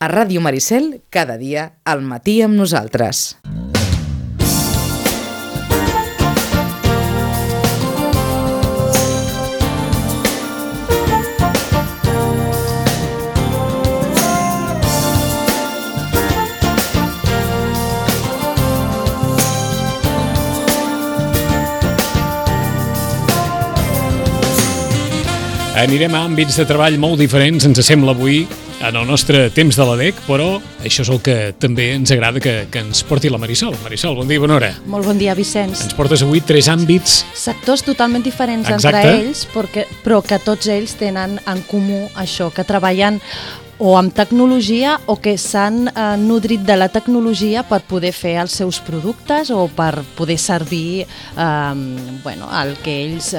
A Ràdio Maricel, cada dia, al matí amb nosaltres. Anirem a àmbits de treball molt diferents, ens sembla avui, en el nostre temps de l'ADEC, però això és el que també ens agrada que ens porti la Marisol. Marisol, bon dia i bona hora. Molt bon dia, Vicenç. Ens portes avui 3 àmbits. Sectors totalment diferents Exacte. entre ells, però que tots ells tenen en comú això, que treballen o amb tecnologia o que s'han nodrit de la tecnologia per poder fer els seus productes o per poder servir el que ells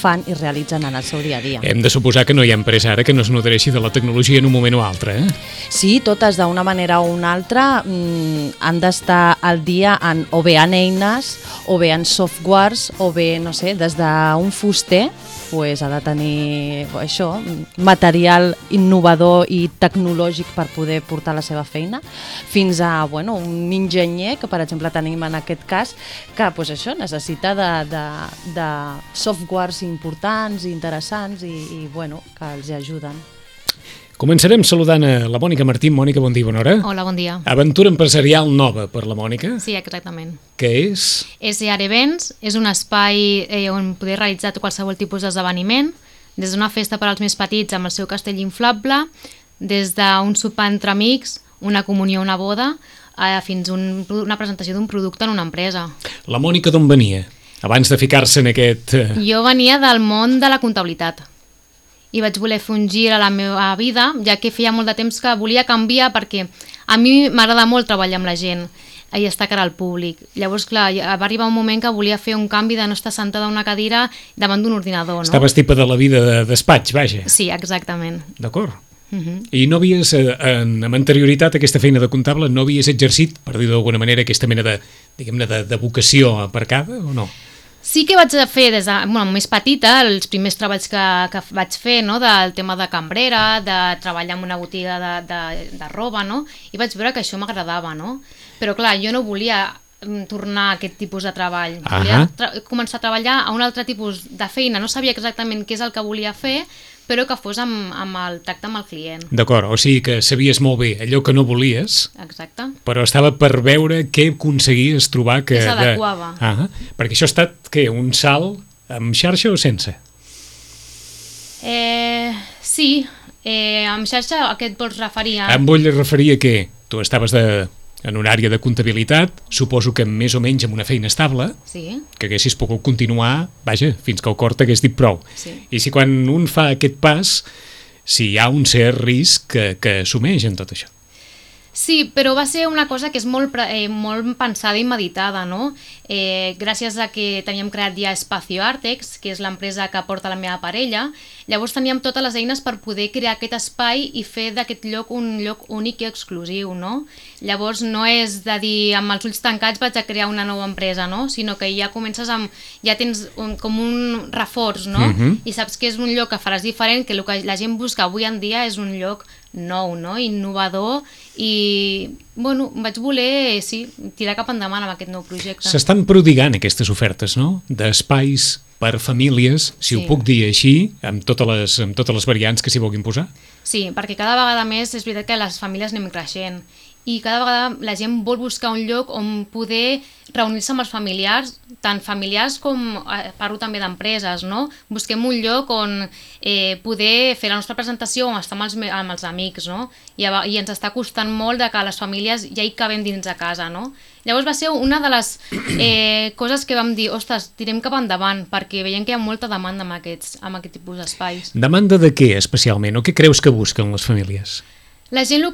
fan i realitzen en el seu dia a dia. Hem de suposar que no hi ha empresa ara que no es nodreixi de la tecnologia en un moment o altre, eh? Sí, totes d'una manera o una altra han d'estar al dia o bé en eines, o bé en softwares, o bé, no sé, des d'un fuster, ha de tenir això, material innovador i tecnològic per poder portar la seva feina, fins a un enginyer, que per exemple tenim en aquest cas, que això necessita de softwares importants i interessants i que els ajuden. Començarem saludant a la Mònica Martín. Mònica, bon dia i bona hora. Hola, bon dia. Aventura empresarial nova per la Mònica. Sí, exactament. Què és? SR Events és un espai on poder realitzar qualsevol tipus d'esdeveniment, des d'una festa per als més petits amb el seu castell inflable, des d'un sopar entre amics, una comunió, una boda, fins a una presentació d'un producte en una empresa. La Mònica d'on venia? Abans de ficar-se en aquest... Jo venia del món de la comptabilitat i vaig voler fer un gir a la meva vida, ja que feia molt de temps que volia canviar, perquè a mi m'agrada molt treballar amb la gent i estar cara al públic. Llavors, clar, va arribar un moment que volia fer un canvi de no estar sentada a una cadira davant d'un ordinador, no? Estaves tipa de la vida de despatx, vaja. Sí, exactament. D'acord. I no havies, amb anterioritat a aquesta feina de comptable, no havies exercit, per dir d'alguna manera, aquesta mena de, diguem-ne, de vocació aparcada o no? Sí que vaig fer des de més petita els primers treballs que vaig fer, no? Del tema de cambrera, de treballar en una botiga de roba, no? I vaig veure que això m'agradava, no? Però clar, jo no volia tornar a aquest tipus de treball. Volia començar a treballar a un altre tipus de feina. No sabia exactament què és el que volia fer, però que fos amb el tracte amb el client. D'acord, o sigui que sabies molt bé allò que no volies. Exacte. Però estava per veure què aconseguies trobar que... Que s'adequava. Perquè això ha estat, què, un salt amb xarxa o sense? Sí, amb xarxa a què et vols referir? Em vull referir a què? Tu estaves en una àrea de comptabilitat, suposo que més o menys amb una feina estable, sí, que haguessis pogut continuar, vaja, fins que el cor t'hagués dit prou. Sí. I si quan un fa aquest pas, si hi ha un cert risc que assumeix en tot això. Sí, però va ser una cosa que és molt pensada i meditada, no? Gràcies a que teníem creat ja Espacio Artex, que és l'empresa que porta la meva parella, llavors teníem totes les eines per poder crear aquest espai i fer d'aquest lloc un lloc únic i exclusiu, no? Llavors no és de dir amb els ulls tancats vaig a crear una nova empresa, no? Sinó que ja comences ja tens com un reforç, no? I saps que és un lloc que faràs diferent, que el que la gent busca avui en dia és un lloc nou, no? Innovador, i vaig voler, sí, tirar cap endavant amb aquest nou projecte. S'estan prodigant aquestes ofertes, no? D'espais per famílies, si ho puc dir així, amb totes les variants que s'hi vulguin posar? Sí, perquè cada vegada més és veritat que les famílies anem creixent i cada vegada la gent vol buscar un lloc on poder reunir-se amb els familiars, tant familiars com parlo també d'empreses, no? Busquem un lloc on poder fer la nostra presentació o estar amb els amics, no? I ens està costant molt de que les famílies ja hi cabem dins de casa, no? Llavors va ser una de les coses que vam dir, ostres, tirem cap endavant, perquè veiem que hi ha molta demanda amb aquest tipus d'espais. Demanda de què especialment, o què creus que busquen les famílies? La gent el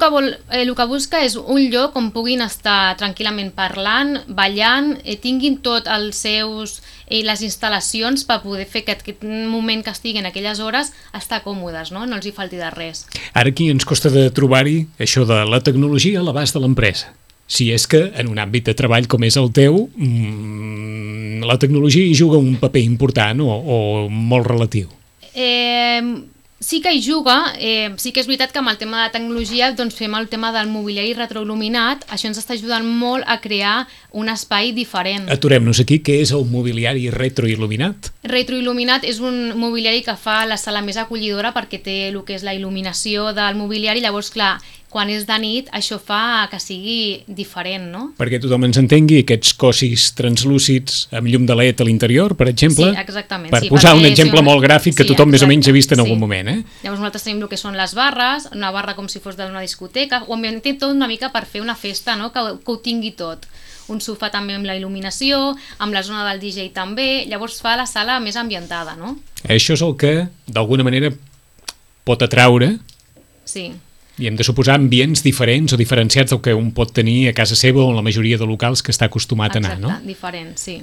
que busca és un lloc on puguin estar tranquil·lament parlant, ballant, tinguin tot les instal·lacions per poder fer que aquest moment que estiguin aquelles hores estar còmodes, no els hi falti de res. Ara aquí ens costa de trobar-hi això de la tecnologia a l'abast de l'empresa. Si és que en un àmbit de treball com és el teu, la tecnologia hi juga un paper important o molt relatiu. sí que hi juga, sí que és veritat que amb el tema de tecnologia doncs fem el tema del mobiliari retroil·luminat, això ens està ajudant molt a crear un espai diferent. Aturem-nos aquí, què és el mobiliari retroil·luminat? Retroil·luminat és un mobiliari que fa la sala més acollidora perquè té el que és la il·luminació del mobiliari, llavors clar, quan és de nit això fa que sigui diferent, no? Perquè tothom ens entengui, aquests cossis translúcids amb llum de LED a l'interior, per exemple, sí, exactament, per sí, posar un perquè exemple molt gràfic que tothom més o menys ha vist en sí. algun moment. Llavors nosaltres tenim el que són les barres, una barra com si fos d'una discoteca, ho ambientem tot una mica per fer una festa, no? que ho tingui tot. Un sofà també amb la il·luminació, amb la zona del DJ també, llavors fa la sala més ambientada, no? Això és el que, d'alguna manera, pot atraure. Sí. I hem de suposar ambients diferents o diferenciats del que un pot tenir a casa seva o en la majoria de locals que està acostumat a anar, no? Exacte, diferent, sí.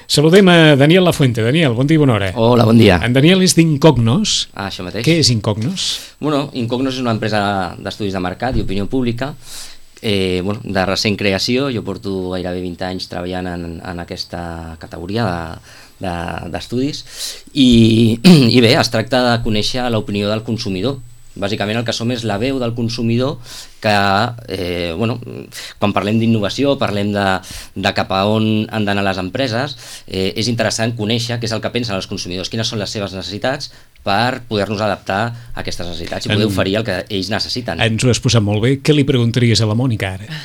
Saludem a Daniel Lafuente. Daniel, bon dia i bona hora. Hola, bon dia. En Daniel és d'Incognos. Això mateix. Què és Incognos? Bueno, Incognos és una empresa d'estudis de mercat i opinió pública, de recent creació. Jo porto gairebé 20 anys treballant en aquesta categoria d'estudis i bé, es tracta de conèixer l'opinió del consumidor. Bàsicament el que som és la veu del consumidor que, quan parlem d'innovació, parlem de cap a on han d'anar les empreses, és interessant conèixer què és el que pensen els consumidors, quines són les seves necessitats per poder-nos adaptar a aquestes necessitats i poder oferir el que ells necessiten. Ens ho has posat molt bé. Què li preguntaries a la Mònica ara?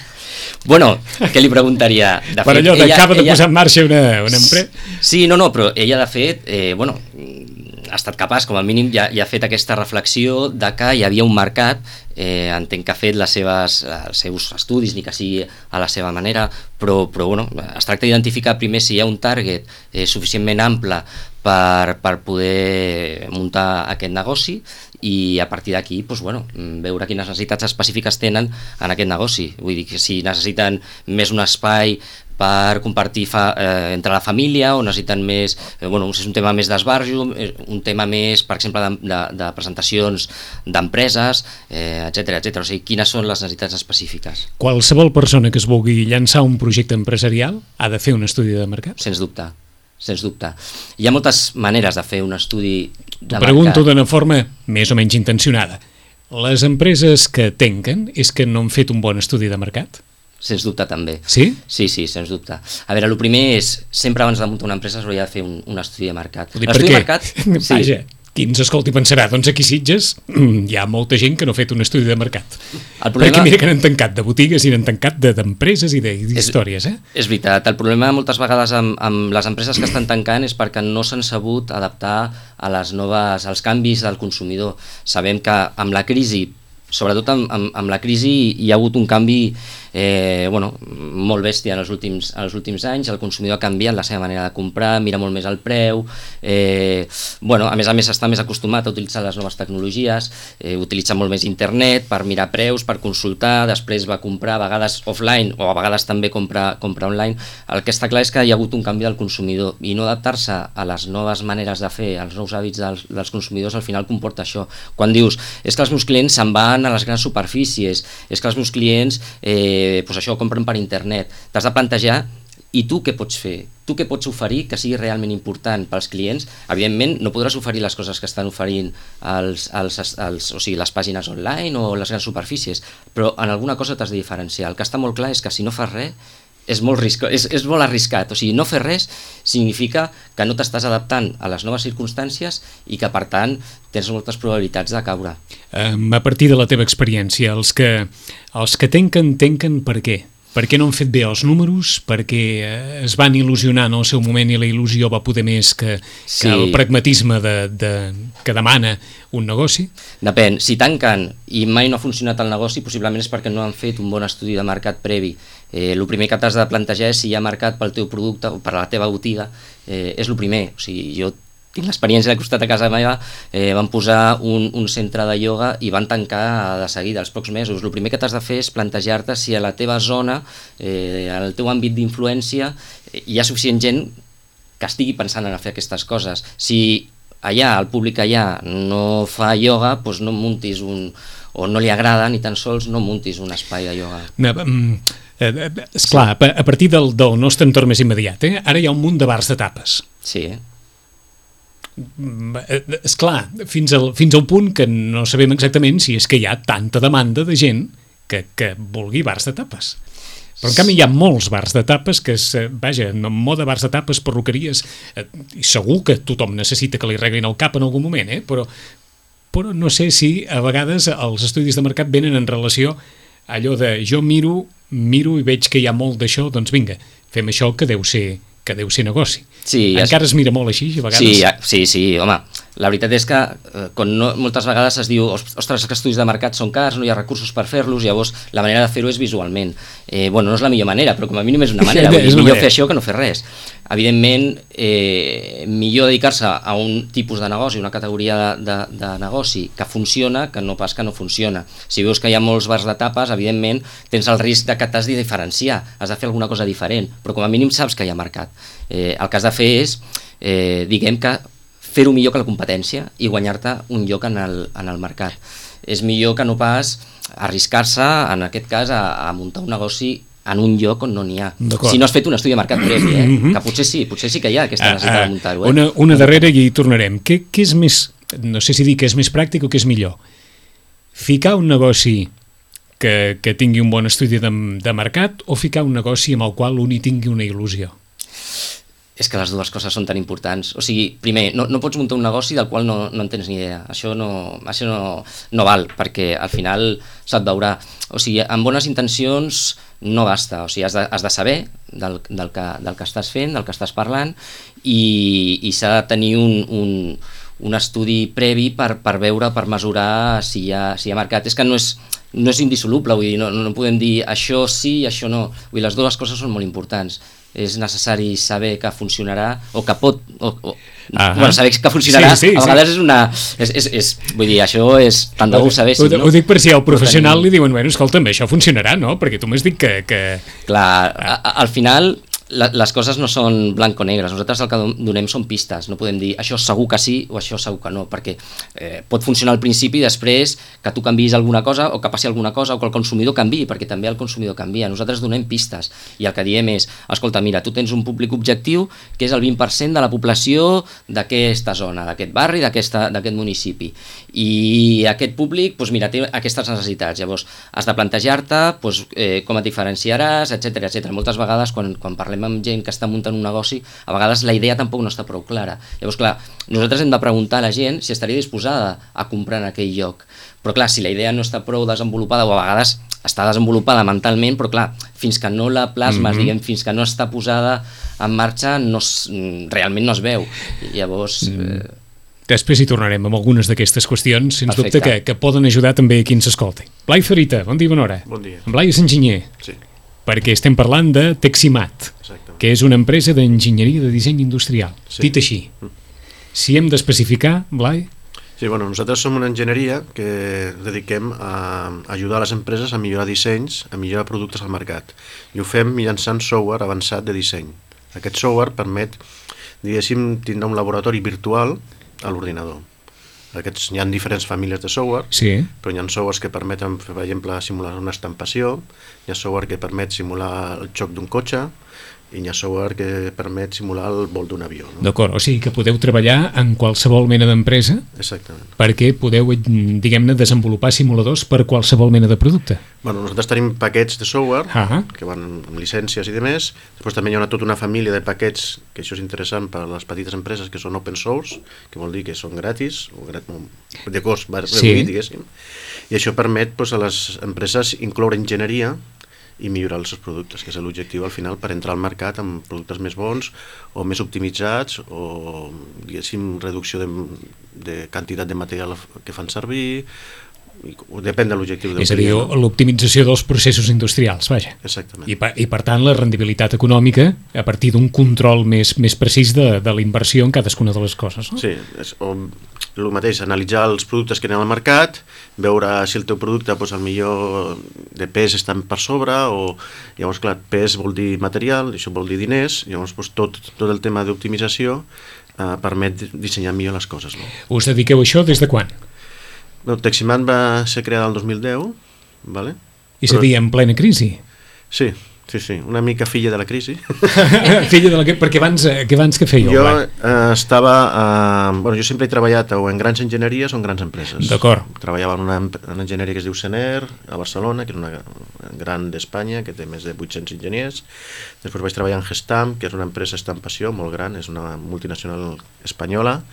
Bueno, què li preguntaria? De per fet, allò d'acaba de posar en marxa una empresa. Sí, no, però ella de fet, ha estat capaç, com a mínim, ja ha fet aquesta reflexió de que hi havia un mercat, entenc que ha fet els seus estudis, ni que sigui a la seva manera, però es tracta d'identificar primer si hi ha un target suficientment ample per poder muntar aquest negoci i a partir d'aquí veure quines necessitats específiques tenen en aquest negoci. Vull dir que si necessiten més un espai per compartir entre la família o necessiten més, si és un tema més d'esbarjo, un tema més, per exemple, de presentacions d'empreses, etcètera. O sigui, quines són les necessitats específiques. Qualsevol persona que es vulgui llançar un projecte empresarial ha de fer un estudi de mercat? Sens dubte. Hi ha moltes maneres de fer un estudi de mercat. Pregunto d'una forma més o menys intencionada. Les empreses que tanquen és que no han fet un bon estudi de mercat? Sens dubte també. Sí? Sí, sens dubte. A veure, el primer és, sempre abans de muntar una empresa s'hauria de fer un estudi de mercat. L'estudi de mercat? Sí. Vaja, qui ens escolti pensarà, doncs aquí a Sitges hi ha molta gent que no ha fet un estudi de mercat. Perquè mira que n'han tancat de botigues i n'han tancat d'empreses i d'històries. És veritat, el problema moltes vegades amb les empreses que estan tancant és perquè no s'han sabut adaptar als canvis del consumidor. Sabem que amb la crisi, sobretot amb la crisi, hi ha hagut un canvi molt bèstia en els últims anys. El consumidor ha canviat la seva manera de comprar, mira molt més el preu, a més està més acostumat a utilitzar les noves tecnologies, utilitza molt més internet per mirar preus, per consultar, després va comprar a vegades offline o a vegades també comprar online. El que està clar és que hi ha hagut un canvi del consumidor i no adaptar-se a les noves maneres de fer, als nous hàbits dels consumidors, al final comporta això. Quan dius, és que els meus clients se'n van a les grans superfícies, és que els meus clients això ho compren per internet, t'has de plantejar i tu què pots fer? Tu què pots oferir que sigui realment important pels clients? Evidentment no podràs oferir les coses que estan oferint les pàgines online o les grans superfícies, però en alguna cosa t'has de diferenciar. El que està molt clar és que si no fas res és molt arriscat. O sigui, no fer res significa que no t'estàs adaptant a les noves circumstàncies i que, per tant, tens moltes probabilitats de caure. A partir de la teva experiència, els que tanquen per què? Per què no han fet bé els números? Perquè es van il·lusionar en el seu moment i la il·lusió va poder més que el pragmatisme que demana un negoci? Depèn. Si tanquen i mai no ha funcionat el negoci, possiblement és perquè no han fet un bon estudi de mercat previ. El primer que t'has de plantejar és si hi ha mercat pel teu producte o per la teva botiga. És el primer. O sigui, jo tinc l'experiència al costat de casa meva, van posar un centre de ioga i van tancar de seguida, als pocs mesos. El primer que t'has de fer és plantejar-te si a la teva zona, al teu àmbit d'influència, hi ha suficient gent que estigui pensant en fer aquestes coses. Si allà, el públic allà no fa ioga, doncs no muntis o no li agrada, ni tan sols no muntis un espai de ioga. Esclar, a partir del nostre entorn més immediat, ara hi ha un munt de bars de tapes. Sí. esclar, fins al punt que no sabem exactament si és que hi ha tanta demanda de gent que vulgui bars de tapes. Però en canvi hi ha molts bars de tapes que en moda bars de tapes, perruqueries, i segur que tothom necessita que li reglin el cap en algun moment, però no sé si a vegades els estudis de mercat venen en relació a allò de jo miro i veig que hi ha molt d'això, doncs vinga, fem això que deu ser negoci. Sí, encara es mira molt així, a vegades. Sí, home, la veritat és que moltes vegades es diu ostres, que estudis de mercat són cars, no hi ha recursos per fer-los, llavors la manera de fer-ho és visualment. No és la millor manera, però com a mínim és una manera, vull dir, millor fer això que no fer res. Evidentment, millor dedicar-se a un tipus de negoci, una categoria de negoci que funciona, que no pas que no funciona. Si veus que hi ha molts bars de tapes, evidentment tens el risc de que t'has de diferenciar, has de fer alguna cosa diferent, però com a mínim saps que hi ha mercat. El que has de fer és, diguem que, fer-ho millor que la competència i guanyar-te un lloc en el mercat. És millor que no pas arriscar-se, en aquest cas, a muntar un negoci en un lloc on no n'hi ha. Si no has fet un estudi de mercat previ, que potser sí que hi ha aquesta necessitat de muntar-ho. Una darrera i hi tornarem. Què és més, no sé si dir que és més pràctic o que és millor? Ficar un negoci que tingui un bon estudi de mercat o ficar un negoci amb el qual un hi tingui una il·lusió? És que les dues coses són tan importants. O sigui, primer, no pots muntar un negoci del qual no en tens ni idea. Això no val, perquè al final se't veurà. O sigui, amb bones intencions no basta. O sigui, has de saber del que estàs fent, del que estàs parlant, i s'ha de tenir un estudi previ per veure, per mesurar si hi ha mercat. És que no és indissoluble, vull dir, no podem dir això sí, això no. Vull dir, les dues coses són molt importants. És necessari saber que funcionarà o que pot saber que funcionarà, sí, a vegades vull dir, això és tant de bo ho sabéssim, no? Ho dic per si al professional li diuen, bueno, escolta, això funcionarà, no? Perquè tu m'has dit que... Clar, al final les coses no són blanc o negres, nosaltres el que donem són pistes, no podem dir això segur que sí o això segur que no, perquè pot funcionar al principi i després que tu canviïs alguna cosa o que passi alguna cosa o que el consumidor canviï, perquè també el consumidor canvia. Nosaltres donem pistes i el que diem és, escolta, mira, tu tens un públic objectiu que és el 20% de la població d'aquesta zona, d'aquest barri, d'aquest municipi, i aquest públic, doncs mira, té aquestes necessitats. Llavors has de plantejar-te com et diferenciaràs, etc. Moltes vegades quan parlem amb gent que està muntant un negoci, a vegades la idea tampoc no està prou clara. Llavors, clar, nosaltres hem de preguntar a la gent si estaria disposada a comprar en aquell lloc. Però clar, si la idea no està prou desenvolupada, o a vegades està desenvolupada mentalment, però clar, fins que no la plasmes, diguem, fins que no està posada en marxa, realment no es veu. Llavors... Després hi tornarem amb algunes d'aquestes qüestions, sens dubte que poden ajudar també a qui ens escolti. Blai Farita, bon dia, bona hora. Bon dia. En Blai és enginyer. Sí. Perquè estem parlant de Teximat, que és una empresa d'enginyeria de disseny industrial, dit així. Si hem d'especificar, Blai? Sí, bueno, nosaltres som una enginyeria que dediquem a ajudar les empreses a millorar dissenys, a millorar productes al mercat. I ho fem mitjançant software avançat de disseny. Aquest software permet, diguéssim, tindre un laboratori virtual a l'ordinador. Hi ha diferents famílies de software, però hi ha softwares que permeten, per exemple, simular una estampació, hi ha software que permet simular el xoc d'un cotxe, i hi ha software que permet simular el vol d'un avió. D'acord, o sigui que podeu treballar en qualsevol mena d'empresa. Exactament. Perquè podeu, diguem-ne, desenvolupar simuladors per qualsevol mena de producte. Bueno, nosaltres tenim paquets de software que van amb llicències i demés. Després també hi ha tota una família de paquets, que això és interessant per a les petites empreses, que són open source, que vol dir que són gratis, o de cost reduït, diguéssim. I això permet a les empreses incloure enginyeria i millorar els seus productes, que és l'objectiu al final per entrar al mercat amb productes més bons o més optimitzats o, diguéssim, reducció de quantitat de material que fan servir, depèn de l'objectiu del client. És a dir, l'optimització dels processos industrials, vaja. Exactament. I per tant la rendibilitat econòmica a partir d'un control més precís de la inversió en cadascuna de les coses, no? Sí, és el mateix, analitzar els productes que hi ha al mercat, veure si el teu producte el millor de pes està per sobre, o llavors clar, pes vol dir material, això vol dir diners, llavors tot el tema d'optimització permet dissenyar millor les coses. Us dediqueu a això des de quan? Teximat va ser creada el 2010, ¿vale? És a dir, en plena crisi? Sí, Sí, una mica filla de la crisi. Filla de la crisi, perquè abans que fèieu? Jo estava... jo sempre he treballat o en grans enginyeries o en grans empreses. D'acord. Treballava en una enginyeria que es diu Sener, a Barcelona, que és una gran d'Espanya, que té més de 800 enginyers. Després vaig treballar en Gestamp, que és una empresa estampació molt gran, és una multinacional espanyola.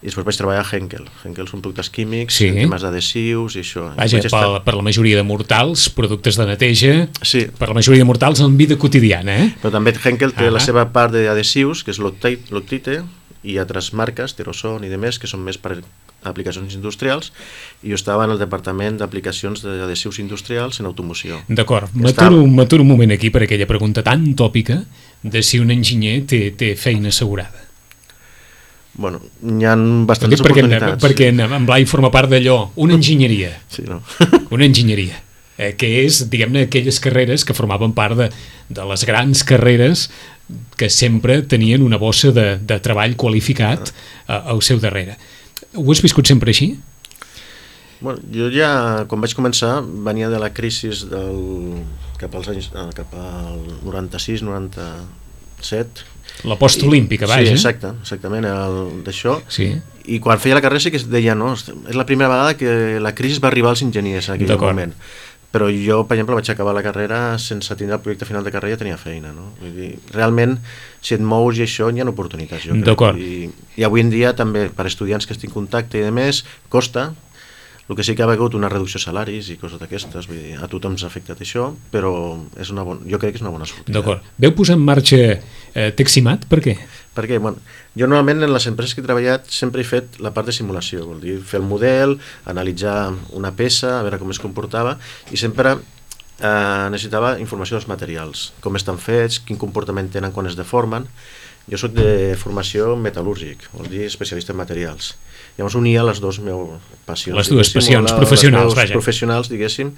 I després vaig treballar a Henkel. Henkel són productes químics, temes d'adhesius i això. Vaja, per la majoria de mortals, productes de neteja, sí. Per la majoria de mortals en vida quotidiana. Però també Henkel té la seva part d'adhesius, que és Loctite, i altres marques, Teroson i demés, que són més per aplicacions industrials, i jo estava en el departament d'aplicacions d'adhesius industrials en automoció. D'acord, m'aturo un moment aquí per aquella pregunta tan tòpica de si un enginyer té feina assegurada. Bueno, hi ha bastantes oportunitats. Perquè en Blai forma part d'allò, una enginyeria. Sí, no? Una enginyeria, que és, diguem-ne, aquelles carreres que formaven part de les grans carreres que sempre tenien una bossa de treball qualificat al seu darrere. Ho has viscut sempre així? Bueno, jo ja, quan vaig començar, venia de la crisi cap al 96-97. La postolímpica, vaja. Sí, exactament, d'això. Sí. I quan feia la carrera sí que es deia, no, és la primera vegada que la crisi va arribar als enginyers en aquell moment. Però jo, per exemple, vaig acabar la carrera sense tindre el projecte final de carrera, ja tenia feina, no? Vull dir, realment, si et mous i això, hi ha oportunitats, jo crec. D'acord. I avui en dia també, per estudiants que estic en contacte i de més, costa. El que sí que ha hagut una reducció de salaris i coses d'aquestes, vull dir, a tothom s'ha afectat això, però jo crec que és una bona sortida. D'acord. Veu posar en marxa Teximat? Per què? Perquè, bueno, jo normalment en les empreses que he treballat sempre he fet la part de simulació, vol dir, fer el model, analitzar una peça, a veure com es comportava, i sempre necessitava informació dels materials, com estan fets, quin comportament tenen quan es deformen. Jo soc de formació metal·lúrgic, vol dir especialista en materials. Llavors unia les dues meves passions. Les dues passions professionals, vaja. Professionals, diguéssim,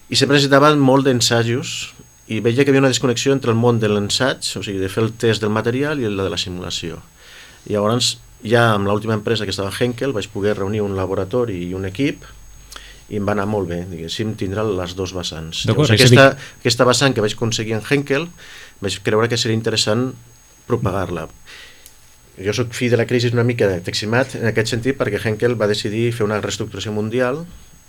i sempre necessitava molt d'ensajos, i veia que hi havia una desconnexió entre el món de l'ensaig, o sigui, de fer el test del material i el de la simulació. I llavors, ja amb l'última empresa que estava a Henkel, vaig poder reunir un laboratori i un equip, i em va anar molt bé, diguéssim, tindre les dues vessants. Llavors, aquesta vessant que vaig aconseguir en Henkel, vaig creure que seria interessant propagar-la. Jo soc fill de la crisi una mica de Teximat en aquest sentit, perquè Henkel va decidir fer una reestructuració mundial.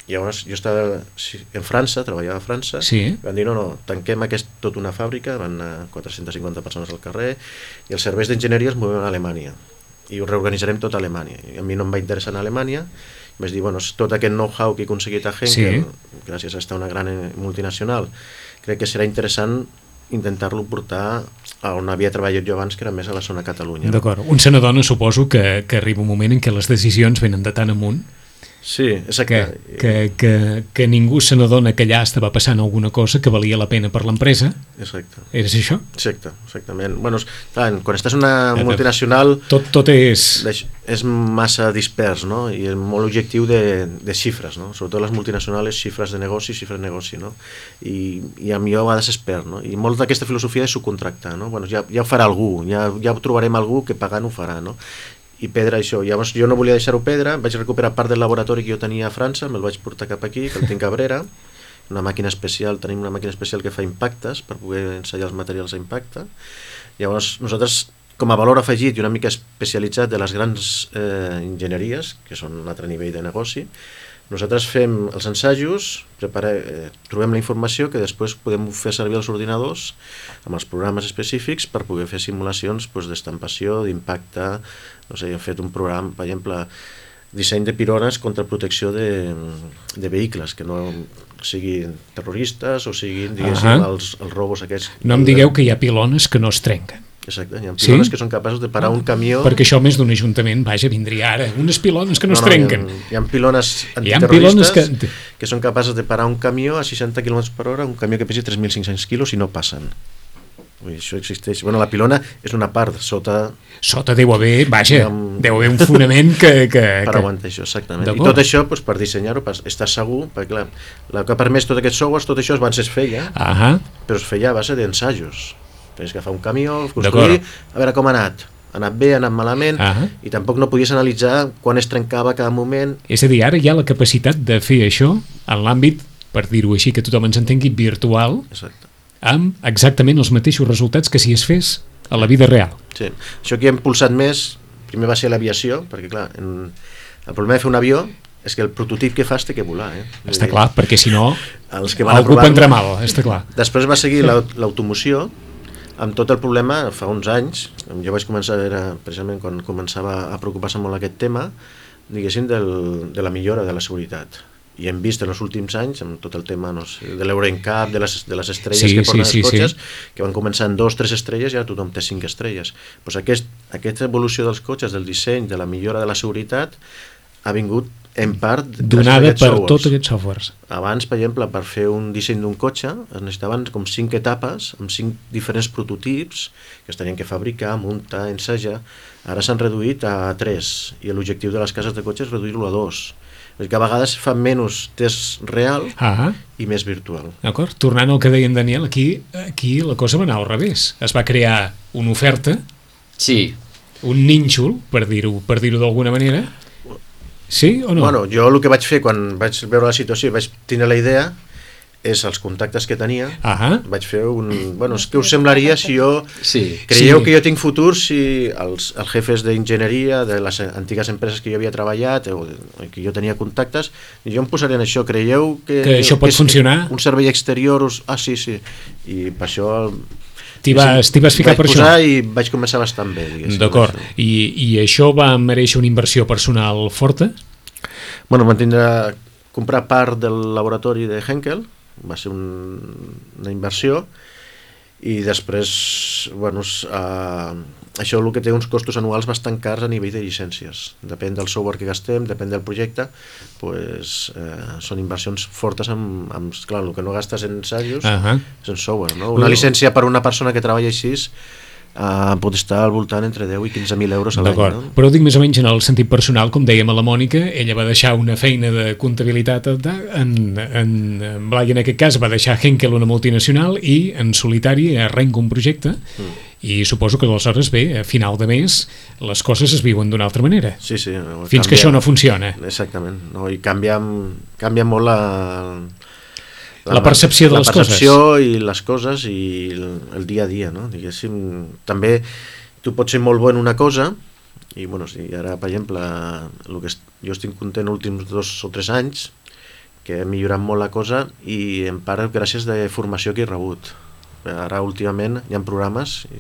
Llavors jo estava en França, treballava a França, van dir no, tanquem tota una fàbrica, van anar 450 persones al carrer, i els serveis d'enginyeria es mouen a Alemanya, i ho reorganitzarem tot a Alemanya. I a mi no em va interessar anar a Alemanya, vaig dir, bueno, tot aquest know-how que he aconseguit a Henkel, gràcies a estar una gran multinacional, crec que serà interessant intentar-lo portar a on havia treballat jo abans, que era més a la zona Catalunya. D'acord. Un se n'adona, suposo, que arriba un moment en què les decisions venen de tan amunt. Sí, exacte. Que ningú se n'adona que allà estava passant alguna cosa que valia la pena per l'empresa. Exacte. Eres això? Exacte, exactament. Bueno, clar, quan estàs en una multinacional... Tot és... És massa dispers, no? I és molt objectiu de xifres, no? Sobretot les multinacionals, xifres de negoci, no? I a mi jo a vegades espero, no? I molt d'aquesta filosofia de subcontractar, no? Bueno, ja ho farà algú, ja trobarem algú que pagant ho farà, no? I perdre això. Llavors jo no volia deixar-ho perdre, vaig recuperar part del laboratori que jo tenia a França, me'l vaig portar cap aquí, que el tinc a Cabrera, una màquina especial, tenim una màquina especial que fa impactes per poder ensaiar els materials a impacte. Llavors nosaltres, com a valor afegit i una mica especialitzat de les grans enginyeries, que són un altre nivell de negoci, nosaltres fem els ensajos, trobem la informació que després podem fer servir els ordinadors amb els programes específics per poder fer simulacions d'estampació, d'impacte. No sé, hem fet un programa, per exemple, disseny de pilones contra protecció de vehicles, que no siguin terroristes o siguin, diguéssim, els robos aquests. No em digueu que hi ha pilones que no es trenquen. Exacte, hi ha pilones que són capaços de parar un camió... Perquè això més d'un ajuntament, vaja, vindria ara. Unes pilones que no es trenquen. Hi ha pilones antiterroristes que són capaces de parar un camió a 60 km per hora, un camió que pesi 3.500 quilos i no passen. Això existeix. Bueno, la pilona és una part, sota deu haver, vaja, deu haver un fonament que... Per aguantar això, exactament. I tot això, per dissenyar-ho, per estar segur, perquè clar, el que ha permès tot aquest software, tot això abans es feia, però es feia a base d'ensajos. Tenies que agafar un camió, construir, a veure com ha anat bé, ha anat malament, i tampoc no podies analitzar quan es trencava cada moment. És a dir, ara hi ha la capacitat de fer això en l'àmbit, per dir-ho així, que tothom ens entengui, virtual. Exacte. amb exactament els mateixos resultats que si es fes a la vida real. Sí, això que hem impulsat més, primer va ser l'aviació, perquè clar, el problema de fer un avió és que el prototip que fas té que volar. Està clar, perquè si no, els que van algú prendrà mal, està clar. Després va seguir l'automoció, amb tot el problema, fa uns anys, jo vaig començar, era precisament quan començava a preocupar-se molt aquest tema, diguéssim, de la millora de la seguretat. I hem vist en els últims anys, amb tot el tema de l'Euroncap, de les estrelles que porten els cotxes, que van començar en 2-3 estrelles i ara tothom té 5 estrelles. Pues aquesta evolució dels cotxes, del disseny, de la millora de la seguretat, ha vingut en part donada per tots aquests softwares. Abans, per exemple, per fer un disseny d'un cotxe es necessitaven com 5 etapes amb 5 diferents prototips que es tenien que fabricar, muntar, ensajar. Ara s'han reduït a 3 i l'objectiu de les cases de cotxes és reduir-lo a 2. És que a vegades fa menys test real i més virtual. D'acord, tornant al que deia en Daniel, aquí la cosa va anar al revés. Es va crear una oferta, un nínxol, per dir-ho d'alguna manera. Sí o no? Bueno, jo el que vaig fer quan vaig veure la situació i vaig tenir la idea és els contactes que tenia. Vaig fer Bueno, és que us semblaria si jo... Creieu que jo tinc futur si els jefes d'enginyeria de les antigues empreses que jo havia treballat o que jo tenia contactes, jo em posaré en això. Creieu que això pot funcionar? Un servei exterior... Sí. I per això... T'hi vas ficar per això? Vaig posar i vaig començar bastant bé. D'acord. I això va mereixer una inversió personal forta? Bueno, vam tindre comprar part del laboratori de Henkel, va ser una inversió, i després, bueno, això el que té uns costos anuals bastant cars a nivell de llicències. Depèn del software que gastem, depèn del projecte, pues, són inversions fortes clar, el que no gastes en ensajos és en software, no? Una llicència per una persona que treballa així pot estar al voltant entre 10 i 15.000 euros a l'any. No? Però dic més o menys en el sentit personal, com dèiem a la Mònica, ella va deixar una feina de comptabilitat en Blai, en aquest cas va deixar Henkel, una multinacional, i en solitari arrenca un projecte i suposo que aleshores a final de mes les coses es viuen d'una altra manera. Sí. Fins que això no funciona. Exactament, no? I canvia molt la percepció de les coses. La percepció i les coses i el dia a dia, no? Diguéssim, també tu pots ser molt bo en una cosa i, bueno, ara, per exemple, jo estic content els últims 2 o 3 anys que he millorat molt la cosa i en part gràcies de formació que he rebut. Ara últimament hi ha programes,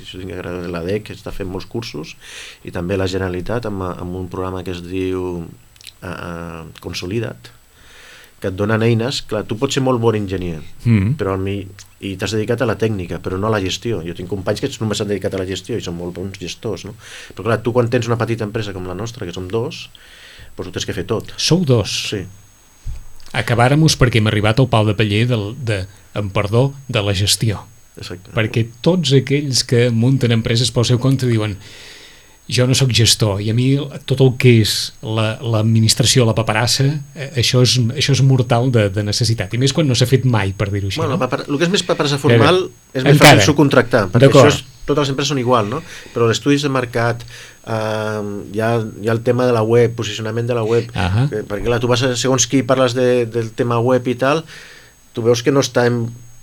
l'ADEC està fent molts cursos i també la Generalitat amb un programa que es diu Consolida't, que et donen eines. Clar, tu pots ser molt bon enginyer i t'has dedicat a la tècnica però no a la gestió. Jo tinc companys que només s'han dedicat a la gestió i són molt bons gestors, no? Però clar, tu quan tens una petita empresa com la nostra, que som 2, doncs ho tens que fer tot. Sou 2? Sí. Acabàrem-us perquè hem arribat al pal de paller de la gestió. Exacte. Perquè tots aquells que munten empreses pel seu compte diuen jo no sóc gestor i a mi tot el que és l'administració, la paperassa, això és mortal de necessitat, i més quan no s'ha fet mai, per dir-ho així. Bueno, el que és més paperassa formal és més fàcil subcontractar, perquè totes les empreses són igual, no? Però els estudis de mercat, hi ha el tema de la web, posicionament de la web, perquè clar, tu vas a segons qui parles del tema web i tal, tu veus que no està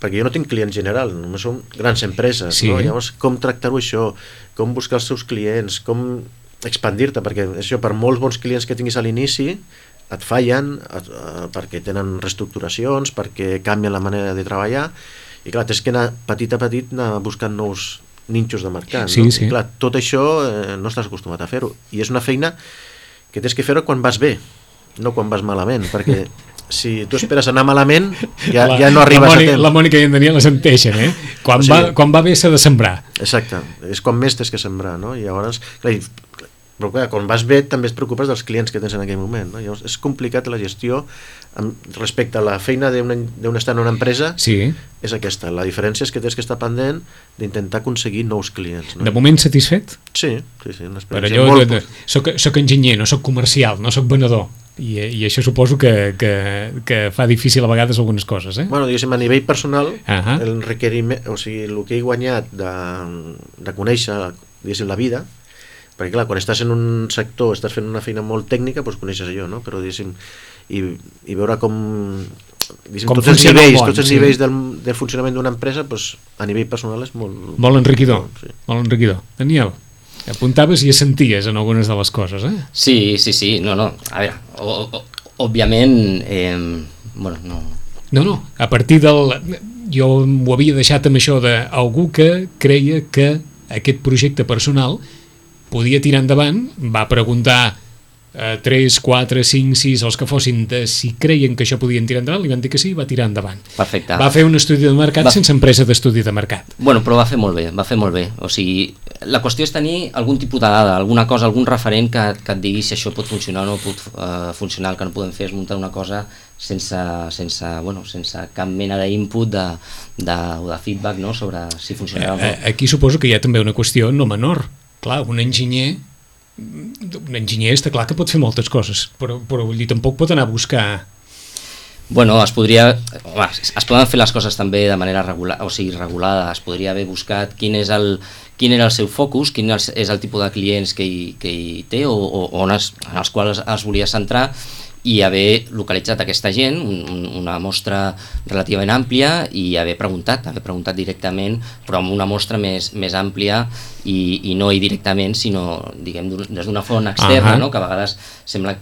perquè jo no tinc client general, només són grans empreses, no? Llavors, com tractar-ho això, com buscar els teus clients, com expandir-te, perquè això, per molts bons clients que tinguis a l'inici, et fallen perquè tenen reestructuracions, perquè canvien la manera de treballar, i clar, tens que anar petit a petit anar buscant nous nínxols de mercat, no? I clar, tot això no estàs acostumat a fer-ho, i és una feina que tens que fer-ho quan vas bé, no quan vas malament, perquè si tu esperes anar malament ja no arribes a temps. La Mònica i en Daniel les enteixen, quan va bé s'ha de sembrar. Exacte, és quan més tens que sembrar, no? I llavors, però clar, quan vas bé també et preocupes dels clients que tens en aquell moment, no? Llavors és complicat la gestió respecte a la feina d'un estar en una empresa, és aquesta, la diferència és que tens que estar pendent d'intentar aconseguir nous clients, no? De moment satisfet? Sí, una experiència però allò, soc enginyer, no soc comercial, no soc venedor, i això suposo que fa difícil a vegades algunes coses, Bueno, diguéssim, a nivell personal, el requeriment, o sigui, el que he guanyat de conèixer, diguéssim, la vida, perquè clar, quan estàs en un sector, estàs fent una feina molt tècnica, doncs coneixes allò, no? Però diguéssim, i veure com tots els nivells del funcionament d'una empresa, a nivell personal és molt enriquidor. Molt enriquidor. Daniel, apuntaves i senties en algunes de les coses, eh? Sí, no, a veure, òbviament, bueno, no... No, a partir jo ho havia deixat amb això d'algú que creia que aquest projecte personal podia tirar endavant, va preguntar 3, 4, 5, 6, els que fossin, de si creien que això podien tirar endavant, li van dir que sí i va tirar endavant. Perfecte. Va fer un estudi de mercat sense empresa d'estudi de mercat. Bueno, però va fer molt bé. O sigui, la qüestió és tenir algun tipus de dada, alguna cosa, algun referent que et digui si això pot funcionar o no pot funcionar. El que no podem fer és muntar una cosa sense cap mena d'input o de feedback, no?, sobre si funcionarà o no. Aquí suposo que hi ha també una qüestió no menor. Clar, un enginyer està clar que pot fer moltes coses, però vull dir, tampoc pot anar a buscar... Bueno, es poden fer les coses també de manera regulada, es podria haver buscat quin era el seu focus, quin és el tipus de clients que hi té o en els quals es volia centrar, i haver localitzat aquesta gent, una mostra relativament àmplia, i haver preguntat directament, però amb una mostra més àmplia i no directament, sinó, diguem, des d'una font externa, no?, que a vegades sembla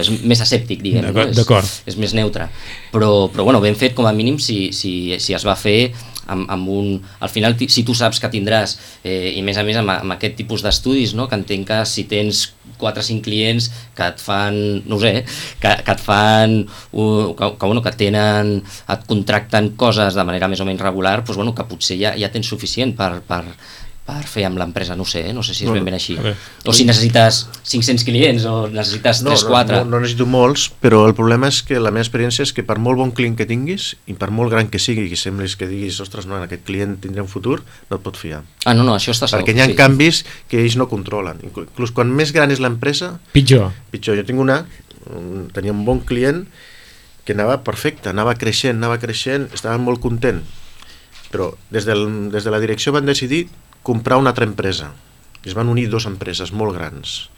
és més escèptic, diguem, no? És més neutre. Però bueno, ben fet, com a mínim, si es va fer amb un... Al final, si tu saps que tindràs, i més a més amb aquest tipus d'estudis, no?, que entenc que si tens 4 o 5 clients que et fan, no ho sé, que et fan, que tenen, et contracten coses de manera més o menys regular, doncs, bueno, que potser ja tens suficient per fer amb l'empresa, no sé si és ben així. O si necessites 500 clients o necessites 3-4. No necessito molts, però el problema és que la meva experiència és que per molt bon client que tinguis i per molt gran que sigui, que sembles que diguis, ostres, no, en aquest client tindrà un futur, no et pot fiar. No, això està segur. Perquè hi ha canvis que ells no controlen. Inclús quan més gran és l'empresa, pitjor. Jo tenia un bon client que anava perfecte, anava creixent, estava molt content, però des de la direcció van decidir comprar una altra empresa. Es van unir 2 empreses molt grans.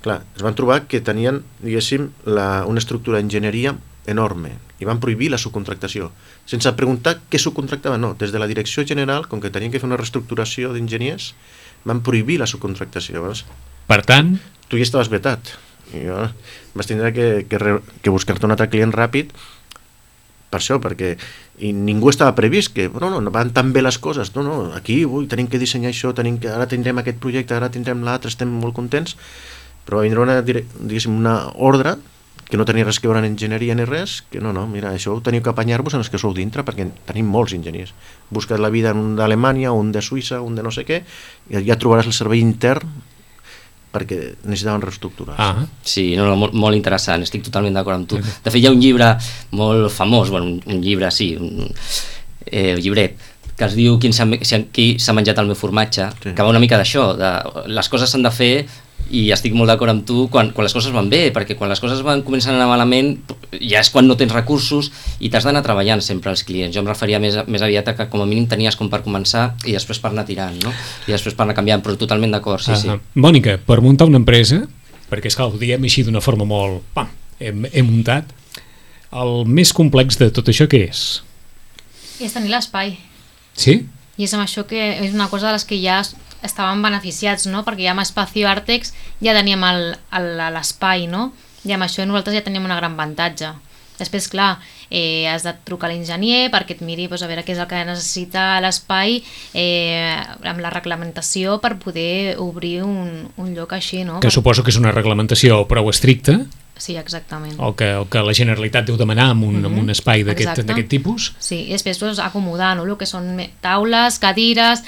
Clar, es van trobar que tenien, diguéssim, una estructura d'enginyeria enorme i van prohibir la subcontractació. Sense preguntar què subcontractaven, no. Des de la direcció general, com que tenien que fer una reestructuració d'enginyers, van prohibir la subcontractació. Per tant... Tu ja estaves vetat. I vas tindre que buscar-te un altre client ràpid per això, perquè ningú estava previst que no van tan bé les coses, aquí tenim que dissenyar això, ara tindrem aquest projecte, ara tindrem l'altre, estem molt contents, però va vindre una ordre que no tenia res que veure en enginyeria ni res, que mira, això ho teniu que apanyar-vos en els que sou dintre, perquè tenim molts enginyers. Busques la vida en un d'Alemanya, un de Suïssa, un de no sé què, i ja trobaràs el servei intern perquè necessitaven reestructurar. Sí, molt interessant, estic totalment d'acord amb tu. De fet, hi ha un llibre molt famós, un llibre, sí, un llibret, que es diu Qui s'ha menjat el meu formatge, que va una mica d'això, les coses s'han de fer, i estic molt d'acord amb tu quan les coses van bé, perquè quan les coses comencen a anar malament ja és quan no tens recursos i t'has d'anar treballant sempre als clients. Jo em referia més aviat a que com a mínim tenies com per començar i després per anar tirant, no? I després per anar canviant, però totalment d'acord, sí. Mònica, per muntar una empresa, perquè esclar, ho diem així d'una forma molt... He muntat, el més complex de tot això què és? És tenir l'espai. Sí? I és amb això que és una cosa de les que ja estàvem beneficiats, no? Perquè ja amb Espacio Artex ja teníem l'espai, no? I amb això nosaltres ja teníem un gran avantatge. Després, clar, has de trucar a l'enginyer perquè et miri a veure què és el que necessita l'espai amb la reglamentació per poder obrir un lloc així, no? Que suposo que és una reglamentació prou estricta. Sí, exactament. El que la Generalitat deu demanar amb un espai d'aquest tipus. Sí, i després acomodar, no? El que són taules, cadires,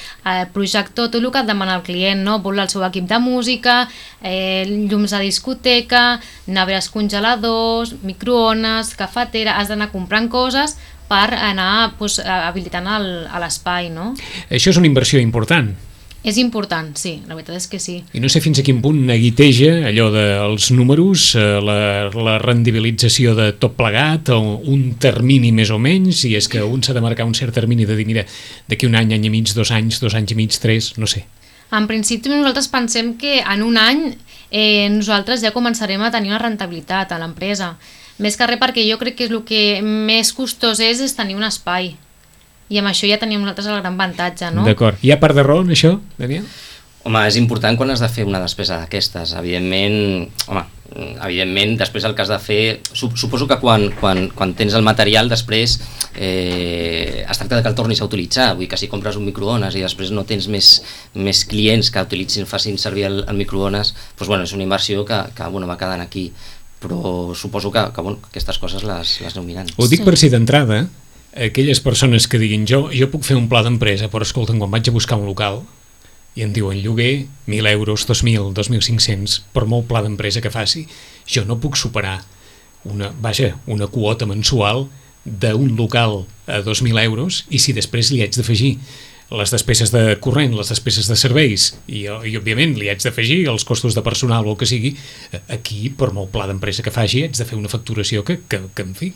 projector, tot el que et demana el client, no? Vol el seu equip de música, llums de discoteca, nevers congeladors, microones, cafetera, has d'anar comprant coses per anar habilitant l'espai, no? Això és una inversió important. És important, sí, la veritat és que sí. I no sé fins a quin punt neguiteja allò dels números, la rendibilització de tot plegat, o un termini més o menys, si és que un s'ha de marcar un cert termini de dir, mira, d'aquí un any i mig, 2 anys, 2 anys i mig, 3, no sé. En principi nosaltres pensem que en un any nosaltres ja començarem a tenir una rentabilitat a l'empresa. Més que res perquè jo crec que el que més costós és tenir un espai. I amb això ja tenim nosaltres el gran avantatge, no? D'acord. Hi ha part de raó en això, Daniel? Home, és important quan has de fer una despesa d'aquestes. Evidentment, després el que has de fer... Suposo que quan tens el material, després es tracta que el tornis a utilitzar. Vull dir que si compres un microones i després no tens més clients que facin servir el microones, doncs, bueno, és una inversió que va quedant aquí. Però suposo que aquestes coses les aneu mirant. Ho dic per si d'entrada, aquelles persones que diguin jo puc fer un pla d'empresa, però escolta, quan vaig a buscar un local i em diuen lloguer 1.000 euros, 2.000, 2.500 per molt pla d'empresa que faci, jo no puc superar una quota mensual d'un local a 2.000 euros, i si després li haig d'afegir les despeses de corrent, les despeses de serveis i òbviament li haig d'afegir els costos de personal o el que sigui, aquí per molt pla d'empresa que faci haig de fer una facturació que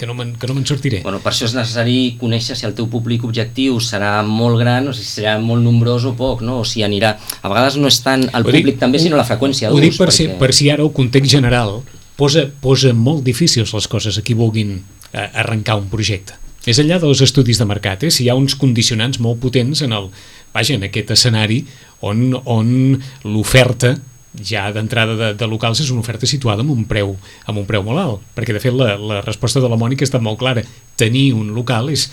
no me'n sortiré. Bueno, per això és necessari conèixer si el teu públic objectiu serà molt gran o si serà molt nombrós o poc, no? O si anirà... A vegades no és tant el públic també, sinó la freqüència d'ús. Ho dic per si ara el context general posa molt difícils les coses a qui vulguin arrencar un projecte. Més enllà dels estudis de mercat, si hi ha uns condicionants molt potents en aquest escenari on l'oferta ja d'entrada de locals és una oferta situada amb un preu molt alt, perquè de fet la resposta de la Mònica ha estat molt clara. Tenir un local és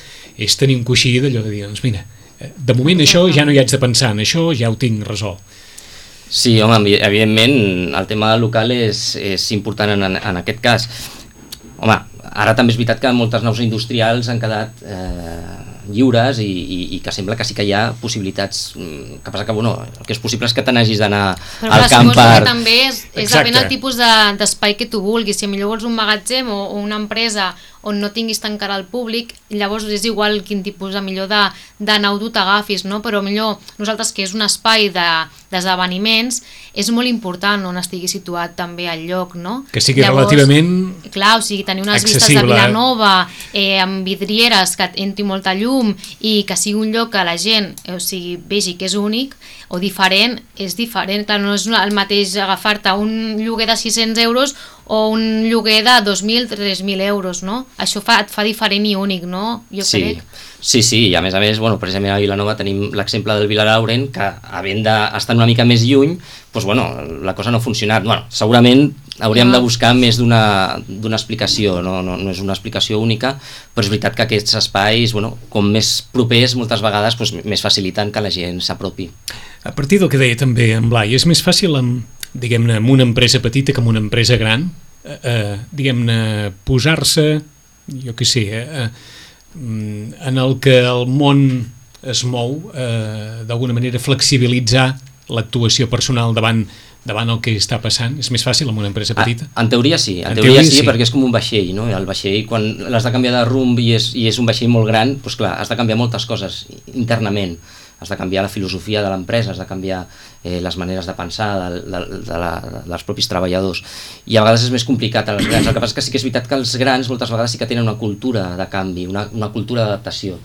tenir un coixí d'allò de dir, doncs mira, de moment això ja no hi haig de pensar, en això ja ho tinc resolt. Sí, home, evidentment el tema del local és important en aquest cas. Home, ara també és veritat que moltes naus industrials han quedat lliures i que sembla que sí que hi ha possibilitats, que passa que el que és possible és que te n'hagis d'anar al camp per... Però també és depèn del tipus d'espai que tu vulguis. Si millor vols un magatzem o una empresa on no tinguis tan cara al públic, llavors és igual quin tipus millor de nau tu t'agafis, no? Però millor nosaltres, que és un espai d'esdeveniments, és molt important on estigui situat també el lloc, no? Que sigui relativament clar, o sigui, tenir unes vistes de Vilanova amb vidrieres, que entri molta llum i que sigui un lloc que la gent vegi que és únic o diferent, és diferent. Clar, no és el mateix agafar-te un lloguer de 600 euros o un lloguer de 2.000, 3.000 euros, no? Això et fa diferent i únic, no? Jo crec. Sí, i a més, precisament a Vilanova tenim l'exemple del Vilarauren, que havent d'estar una mica més lluny, doncs, la cosa no ha funcionat. Segurament hauríem de buscar més d'una explicació, no és una explicació única, però és veritat que aquests espais, com més propers, moltes vegades més faciliten que la gent s'apropi. A partir del que deia també en Blai, és més fàcil diguem-ne, amb una empresa petita que amb una empresa gran, diguem-ne, posar-se, jo què sé, en el que el món es mou, d'alguna manera flexibilitzar l'actuació personal davant el que està passant. És més fàcil amb una empresa petita? En teoria sí, perquè és com un vaixell, no? El vaixell, quan l'has de canviar de rumb i és un vaixell molt gran, doncs clar, has de canviar moltes coses internament. Has de canviar la filosofia de l'empresa, has de canviar les maneres de pensar dels propis treballadors, i a vegades és més complicat a les grans. El que passa és que sí que és veritat que els grans moltes vegades sí que tenen una cultura de canvi, una cultura d'adaptació,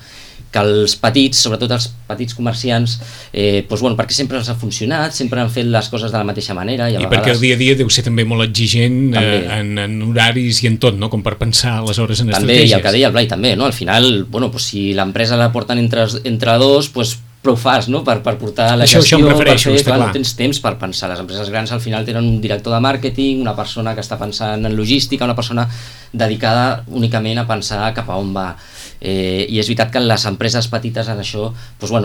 que els petits, sobretot els petits comerciants, perquè sempre els ha funcionat, sempre han fet les coses de la mateixa manera. I perquè el dia a dia deu ser també molt exigent en horaris i en tot, no? Com per pensar aleshores en estratègies. També, i el que deia el Blai també, no? Al final, si l'empresa la porten entre dos, prou fas, no? Per portar la gestió, això em refereixo, per fer, no tens temps per pensar. Les empreses grans al final tenen un director de màrqueting, una persona que està pensant en logística, una persona dedicada únicament a pensar cap a on va. I és veritat que les empreses petites en això, però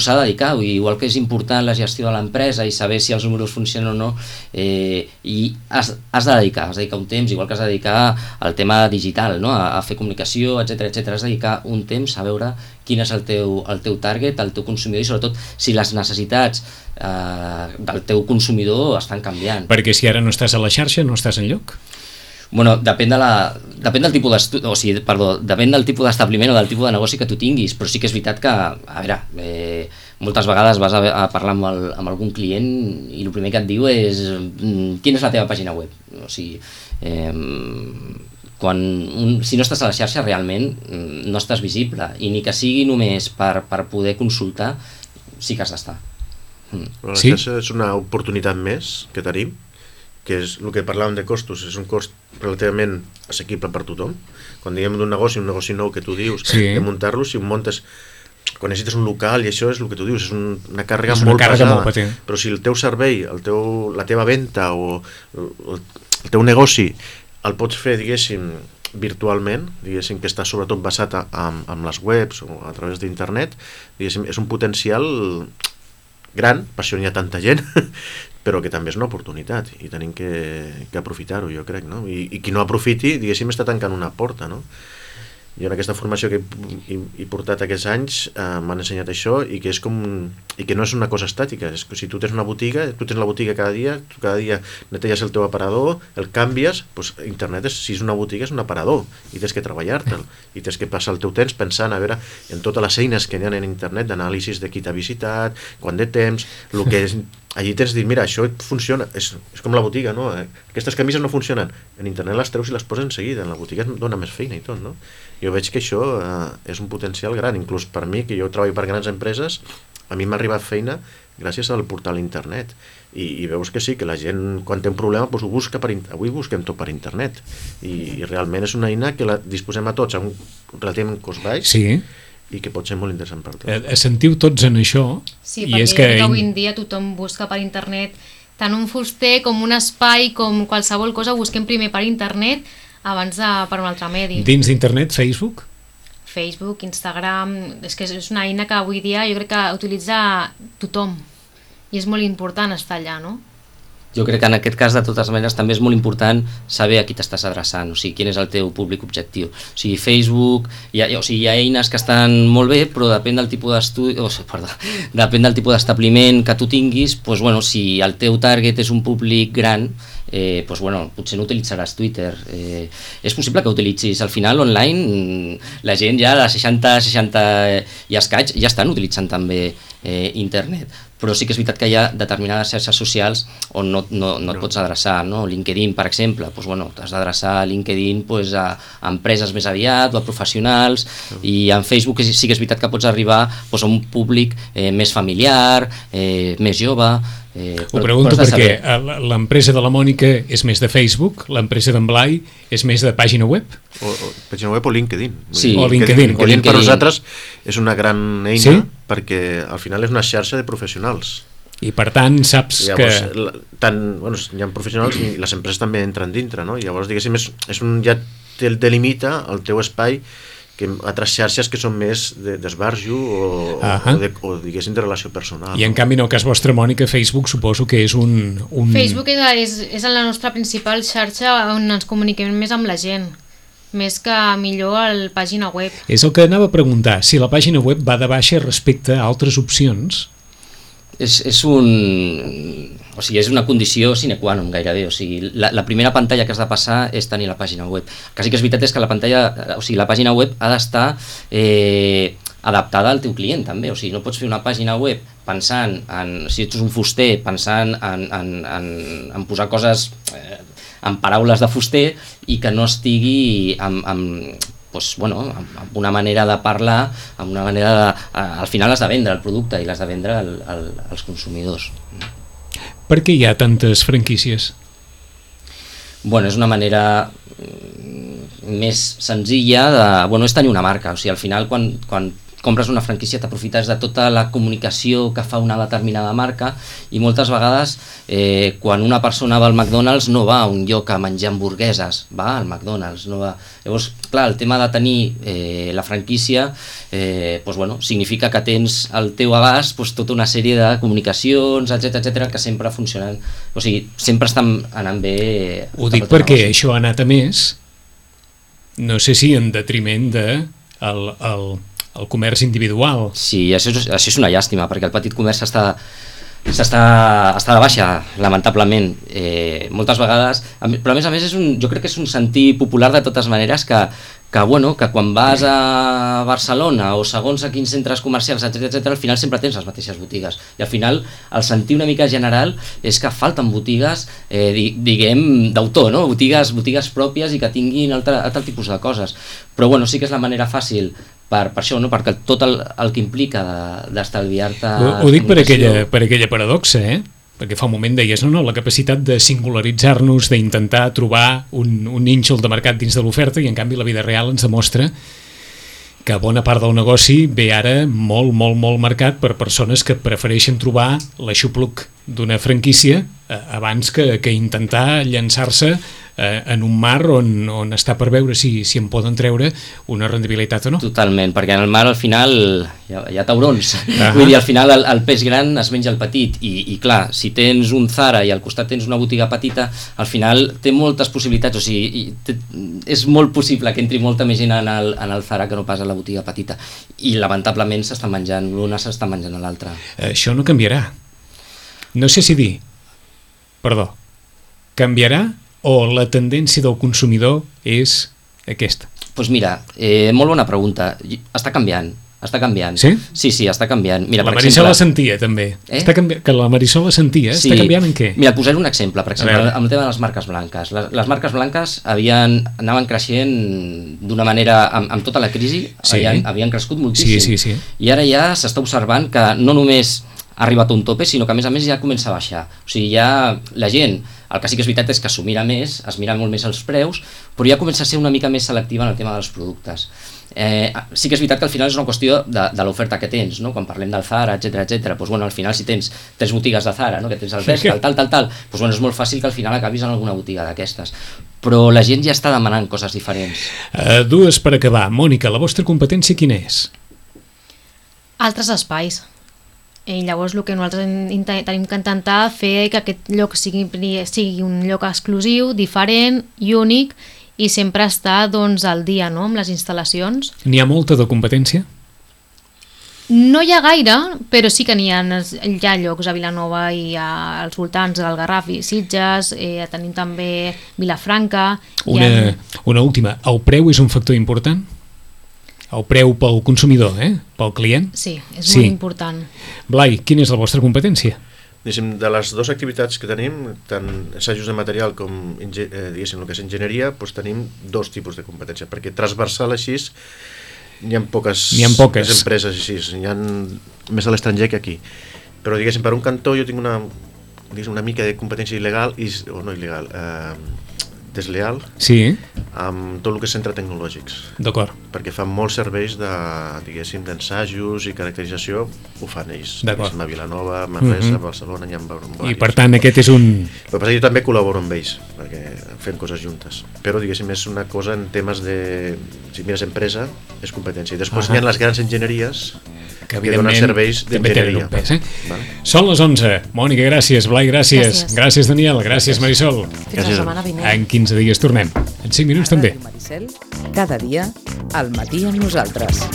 s'ha de dedicar, igual que és important la gestió de l'empresa i saber si els números funcionen o no, i has de dedicar un temps, igual que has de dedicar al tema digital, no? A fer comunicació, etc. Has de dedicar un temps a veure quin és el teu target, el teu consumidor, i sobretot si les necessitats del teu consumidor estan canviant. Perquè si ara no estàs a la xarxa, no estàs enlloc? Depèn del tipus depèn del tipus d'establiment o del tipus de negoci que tu tinguis, però sí que és veritat que, moltes vegades vas a parlar amb algun client i el primer que et diu és quina és la teva pàgina web. O sigui, si no estàs a la xarxa realment no estàs visible, i ni que sigui només per poder consultar, sí que has d'estar. La xarxa és una oportunitat més que tenim, que és el que parlàvem de costos, és un cost relativament assequible per tothom. Quan diguem d'un negoci, un negoci nou que tu dius, de muntar-lo, si ho montes, quan necessites un local i això és el que tu dius, és una càrrega molt pesada, però si el teu servei, la teva venda o el teu negoci el pots fer, diguéssim, virtualment, diguéssim que està sobretot basat en les webs o a través d'internet, diguéssim, és un potencial gran, per això n'hi ha tanta gent, però que també és una oportunitat i tenim que aprofitar-ho, jo crec, no? I qui no aprofiti, diguéssim, està tancant una porta, no? Jo en aquesta formació que he portat aquests anys m'han ensenyat això i que és i que no és una cosa estàtica, és que si tu tens una botiga, tu tens la botiga cada dia, tu cada dia neteges el teu aparador, el canvies, doncs internet, si és una botiga, és un aparador i tens que treballar-te'l i tens que passar el teu temps pensant a veure en totes les eines que hi ha en internet d'anàlisis de qui t'ha visitat, quant de temps, el que és. Allí tens de dir, mira, això funciona, és com la botiga, no? Aquestes camises no funcionen, en internet les treus i les poses en seguida, en la botiga et dona més feina i tot, no? Jo veig que això és un potencial gran, inclús per mi, que jo treballo per grans empreses, a mi m'ha arribat feina gràcies al portal internet, i veus que sí, que la gent quan té un problema doncs ho busca avui busquem tot per internet, i realment és una eina que la disposem a tots a un relativament cost baix, sí, i que pot ser molt interessant per tots. Sentiu tots en això? Sí, perquè avui en dia tothom busca per internet tant un fuster com un espai, com qualsevol cosa, busquem primer per internet abans de per un altre medi. Dins d'internet, Facebook? Facebook, Instagram, és que és una eina que avui dia jo crec que utilitza tothom i és molt important estar allà, no? Jo crec que en aquest cas, de totes maneres, també és molt important saber a qui t'estàs adreçant, o sigui, quin és el teu públic objectiu. O sigui, Facebook, hi ha eines que estan molt bé, però depèn del tipus depèn del tipus d'establiment que tu tinguis, doncs, bueno, si el teu target és un públic gran, doncs, bueno, potser no utilitzaràs Twitter. És possible que utilitzis, al final, online, la gent ja de 60 i escaig ja estan utilitzant també internet. Però sí que és veritat que hi ha determinades xarxes socials on no et pots adreçar, no? LinkedIn, per exemple, doncs, bueno, t'has d'adreçar a LinkedIn doncs, a empreses més aviat o a professionals, i en Facebook sí que és veritat que pots arribar doncs, a un públic més familiar, més jove. Ho pregunto perquè l'empresa de la Mònica és més de Facebook, l'empresa d'en Blai és més de pàgina web? Pàgina web o LinkedIn. Sí, o LinkedIn. LinkedIn per nosaltres és una gran eina, perquè al final és una xarxa de professionals. I per tant saps llavors, que... hi ha professionals i les empreses també entren dintre, no? Llavors, diguéssim, ja delimita el teu espai que altres xarxes que són més d'esbarjo o diguéssim de relació personal. I en canvi en el cas vostre, Mònica, Facebook suposo que és un... Facebook és la nostra principal xarxa on ens comuniquem més amb la gent, més que millor a la pàgina web. És el que anava a preguntar, si la pàgina web va de baixa respecte a altres opcions. És una condició sine qua non gairebé, o sigui, la primera pantalla que has de passar és tenir la pàgina web. El que sí que és veritat és que la pàgina web ha d'estar adaptada al teu client també, o sigui, no pots fer una pàgina web pensant en, si ets un fuster, pensant en posar coses en paraules de fuster i que no estigui amb una manera de parlar, amb una manera de... Al final has de vendre el producte i l'has de vendre als consumidors. Per què hi ha tantes franquícies? Bueno, és una manera més senzilla de... Bueno, és tenir una marca, o sigui, al final quan compres una franquícia t'aprofites de tota la comunicació que fa una determinada marca i moltes vegades quan una persona va al McDonald's no va a un lloc a menjar hamburgueses, va al McDonald's, no va... Llavors, clar, el tema de tenir la franquícia significa que tens al teu abast tota una sèrie de comunicacions, etcètera, que sempre funcionen, o sigui, sempre estan anant bé. Ho dic perquè això ha anat a més, no sé si en detriment de el comerç individual. Sí, això és una llàstima, perquè el petit comerç està de baixa, lamentablement, moltes vegades, però a més jo crec que és un sentir popular de totes maneres que quan vas a Barcelona o segons a quins centres comercials, etcètera, al final sempre tens les mateixes botigues, i al final el sentir una mica general és que falten botigues, diguem, d'autor, no? Botigues pròpies i que tinguin altre tipus de coses, però sí que és la manera fàcil per això, no? Perquè tot el que implica d'estalviar-te... Ho dic per aquella paradoxa, perquè fa un moment deies, no, la capacitat de singularitzar-nos, d'intentar trobar un nínxol de mercat dins de l'oferta, i en canvi la vida real ens demostra que bona part del negoci ve ara molt marcat per persones que prefereixen trobar l'aixopluc d'una franquícia abans que intentar llançar-se en un mar on està per veure si en poden treure una rendibilitat o no. Totalment, perquè en el mar al final hi ha taurons. Vull dir, al final el peix gran es menja el petit i clar, si tens un Zara i al costat tens una botiga petita, al final té moltes possibilitats, o sigui, és molt possible que entri molta més gent en el Zara que no pas a la botiga petita, i lamentablement s'està menjant l'una, s'està menjant l'altra. Això no canviarà. No sé si dir, canviarà o la tendència del consumidor és aquesta? Doncs mira, molt bona pregunta. Està canviant. Sí? Sí, està canviant. Mira, la Marisol la sentia, també. Que la Marisol la sentia, sí. Està canviant en què? Mira, posaré un exemple, per exemple, amb el tema de les marques blanques. Les marques blanques anaven creixent d'una manera, amb tota la crisi, havien crescut moltíssim. Sí. I ara ja s'està observant que no només ha arribat a un tope, sinó que a més ja comença a baixar. O sigui, ja la gent, el que sí que és veritat és que s'ho mira més, es mira molt més els preus, però ja comença a ser una mica més selectiva en el tema dels productes. Sí que és veritat que al final és una qüestió de l'oferta que tens, no? Quan parlem del Zara, etcètera, doncs, al final si tens 3 botigues de Zara, no? Que tens el Bershka, tal, doncs, és molt fàcil que al final acabis en alguna botiga d'aquestes. Però la gent ja està demanant coses diferents. Dues per acabar. Mònica, la vostra competència quina és? Altres espais. I llavors el que nosaltres tenim que intentar fer que aquest lloc sigui un lloc exclusiu, diferent i únic, i sempre estar al dia, no?, amb les instal·lacions. N'hi ha molta de competència? No hi ha gaire, però sí que hi ha llocs a Vilanova i als voltants del Garraf i Sitges, tenim també Vilafranca. Una última, el preu és un factor important? El preu pel consumidor, pel client? Sí, és molt important. Blai, quina és la vostra competència? De les dues activitats que tenim, tant assajos de material com el que és enginyeria, tenim dos tipus de competència, perquè transversal així n'hi ha poques empreses així, n'hi ha més a l'estranger que aquí. Però per un cantó jo tinc una mica de competència il·legal, o no il·legal, desleal, amb tot el que és centres tecnològics. D'acord. Perquè fan molts serveis d'ensajos i caracterització, ho fan ells. D'acord. A Vilanova, a Manresa, a Barcelona, hi ha diversos. I per tant aquest és un... El que passa és que jo també col·laboro amb ells, perquè fem coses juntes. Però és una cosa en temes de... Si mires empresa, és competència. I després hi ha les grans enginyeries que donen serveis d'enginyeria. Són les 11. Mònica, gràcies. Blai, gràcies. Gràcies, Daniel. Gràcies, Marisol. Fins la setmana vinent. En 15 dies tornem. En 5 minuts també. Cada dia, al matí amb nosaltres.